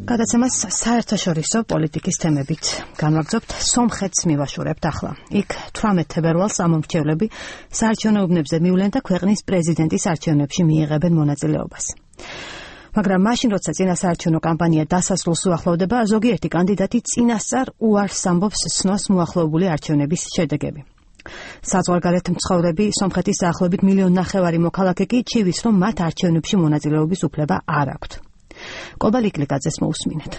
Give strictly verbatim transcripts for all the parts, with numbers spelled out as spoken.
გადაცემას საერთაშორისო პოლიტიკის თემებით განვაგრძობთ. სომხეთს მივაშურებთ ახლა. იქ თვრამეტ თებერვალს ამომრჩევლები საარჩევნო უბნებზე მივლენ და ქვეყნის პრეზიდენტის არჩევნებში მიიღებენ მონაწილეობას. მაგრამ მაშინ, როცა წინასაარჩევნო კამპანია დასასრულს უახლოვდება, ზოგიერთი კანდიდატი წინასწარ უარს ამბობს სნოს მოახლოებული არჩევნების შედეგები. საზღვარგარეთ მცხოვრები სომხეთის დაახლოებით მილიონი ნახევარი მოქალაქე კი ჩივის, რომ მათ არჩევნებში მონაწილეობის უფლება არ აქვთ. კობალ იკლიკაძეს მოусმინეთ.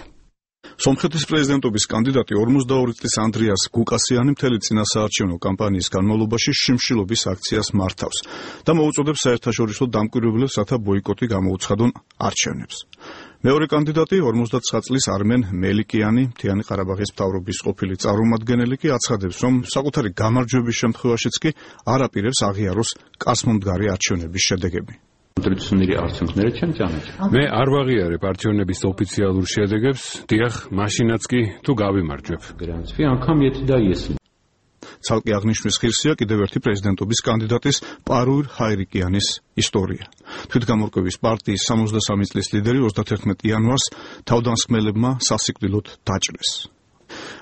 სომხეთის პრეზიდენტობის კანდიდატი ორმოცდაორი წლის ანდრიას გუკასიანი მთელი წინასაარჩევნო კამპანიის განმავლობაში შიმშილობის აქციას მართავს და მოუწოდებს საერთაშორისო დამკვირვებლებს, რათა ბოიკოტი გამოუცხადონ არჩევნებს. მეორე კანდიდატი ორმოცდათვრამეტ წლის არმენ მელიკიანი, მთიანი ყარაბაღის მთავრობის ყოფილი წარმომადგენელი კი აცხადებს, რომ საკუთარი გამარჯვების შემთხვევაშიც კი არ აპირებს აღიაროს კაცმომდგარი არჩევნების შედეგები. მე არ ვაღიარებ არჩევნების ოფიციალურ შედეგებს, დიახ, მაშინაც კი თუ გავიმარჯვებ. ცალკე აღნიშვნის ღირსია კიდევ ერთი პრეზიდენტობის კანდიდატის პარუირ ჰაირიკიანის ისტორია. თვითგამორკვევის პარტიის სამოცდასამი წლის ლიდერი ოცდათერთმეტ იანვარს თავდამსხმელებმა სასიკვდილოდ დაჭრეს.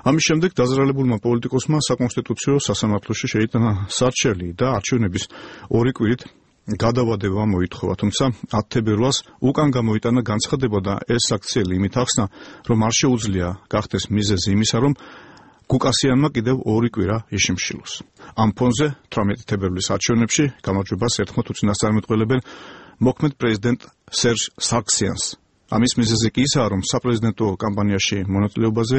ამის შემდეგ დაზრალებულმა პოლიტიკოსმა საკონსტიტუციო სასამართლოში შეიტანა სარჩელი და არჩევნების ორი კვირით გადავადება მოითხოვა, თუმცა ათი თებერვალს უკან გამოიტანა განცხადება და ეს აქციელი იმით ახსნა, რომ არ შეუძლია გახდეს მიზეზი იმისა, რომ გუკასიანმა კიდევ ორი კვირა იშიმშილოს. ამ ფონზე თვრამეტი თებერვლის არჩევნებში გამარჯვებას ერთხმად უწინასწარმეტყველებენ მოქმედ პრეზიდენტ სერჟ სარქსიანს. ამის მიზეზი კი ისაა, რომ საპრეზიდენტო კამპანიაში მონაწილეობაზე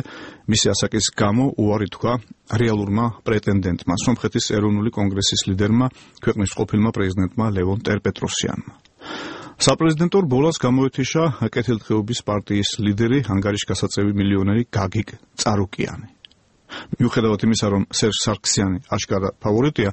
მისი ასაკის გამო უარი თქვა რეალურმა პრეტენდენტმა, სომხეთის ეროვნული კონგრესის ლიდერმა, ქვეყნის ყოფილმა პრეზიდენტმა ლევონ ტერპეტროსიანმა. საპრეზიდენტო რბოლას გამოეთიშა კეთილდღეობის პარტიის ლიდერი, ანგარიშ გასაწევი მილიონერი გაგიკ წარუკიანი. მიუხედავად იმისა, რომ სერჟ სარქსიანი აშკარა ფავორიტია,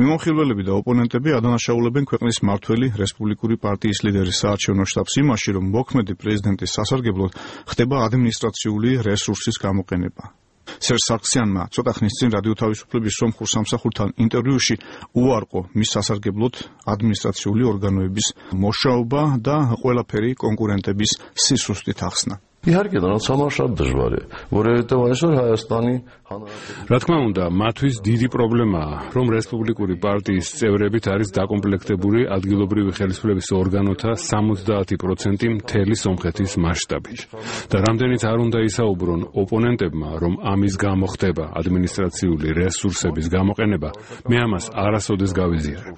მიმოხილველები და ოპონენტები ადანაშაულებენ ქვეყნის მმართველი რესპუბლიკური პარტიის ლიდერის საარჩევნო შტაბს იმაში, რომ მოქმედი პრეზიდენტის სასარგებლოდ ხდება ადმინისტრაციული რესურსის გამოყენება. სერჟ სარქსიანმა ცოტა ხნის წინ რადიო თავისუფლების სომხურ სამსახურთან ინტერვიუში უარყო მის სასარგებლოდ ადმინისტრაციული ორგანოების მოშაობა და ყველაფერი კონკურენტების სისუსტით ახსნა. იარგე და სამარშად დժვარია. ვორევიტევანში ჰაიასტანი რა თქმა უნდა, მათთვის დიდი პრობლემაა, რომ რესპუბლიკური პარტიის წევრებით არის დაკომპლექტებული ადგილობრივი ხელისუფლების ორგანოთა სამოცდაათი პროცენტი მთელი სომხეთის მასშტაბით. და რამდენიც არ უნდა ისაუბრონ ოპონენტებმა, რომ ამის გამო ხდება ადმინისტრაციული რესურსების გამოყენება, მე ამას არასოდეს გავიზიარებ.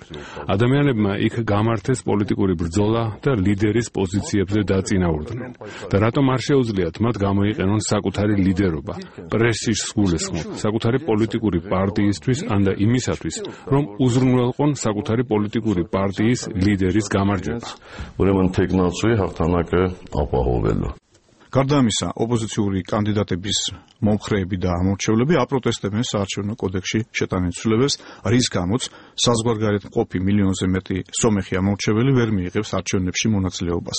ადამიანებმა იქ გამართეს პოლიტიკური ბრძოლა და ლიდერის პოზიციებზე დაწინაურდნენ. და რატომ არ შეუძლიათ მათ გამოიყენონ საკუთარი ლიდერობა, პრესის სგულისხმობ, საკუთარი პოლიტიკური პარტიისთვის ან და იმისათვის, რომ უზრუნველყონ საკუთარი პოლიტიკური პარტიის ლიდერის გამარჯვება. ურემან თეკნაცუი ჰახთანაკე აპაჰოველო. გარდა ამისა, ოპოზიციური კანდიდატების მომხრეები და ამორჩევლები აპროტესტებენ საარჩევნო კოდექსში შეტანილ ცვლილებებს, რის გამოც საზღვარგარეთ მყოფი მილიონზე მეტი სომეხი ამორჩეველი ვერ მიიღებს არჩევნებში მონაწილეობას.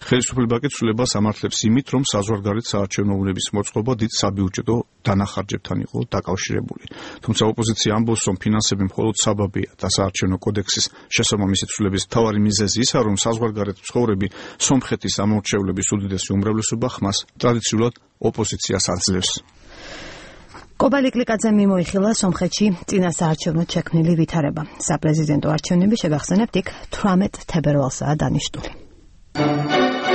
ხელისუფლება კი ცვლილებას ამართლებს იმით, რომ საზღვარგარეთ საარჩევნო უბნების მოწყობა დიდ საბიუჯეტო დანახარჯებთან იყო დაკავშირებული. თუმცა ოპოზიცია ამბობს, რომ ფინანსები მხოლოდ საბაბია და საარჩევნო კოდექსის შესაბამისი ცვლილების მთავარი მიზეზი ისაა, რომ საზღვარგარეთ მცხოვრები სომხეთის ამორჩევლების უდიდესი უმრავლესობა ხმას ტრადიციულად ოპოზიციას აძლევს. კობალ იკლიკაძე მიმოიხილა სომხეთში წინასაარჩევნო შექმნილი ვითარება. საპრეზიდენტო არჩევნები შეგახსენებთ იქ თვრამეტ თებერვალსაა დანიშნული.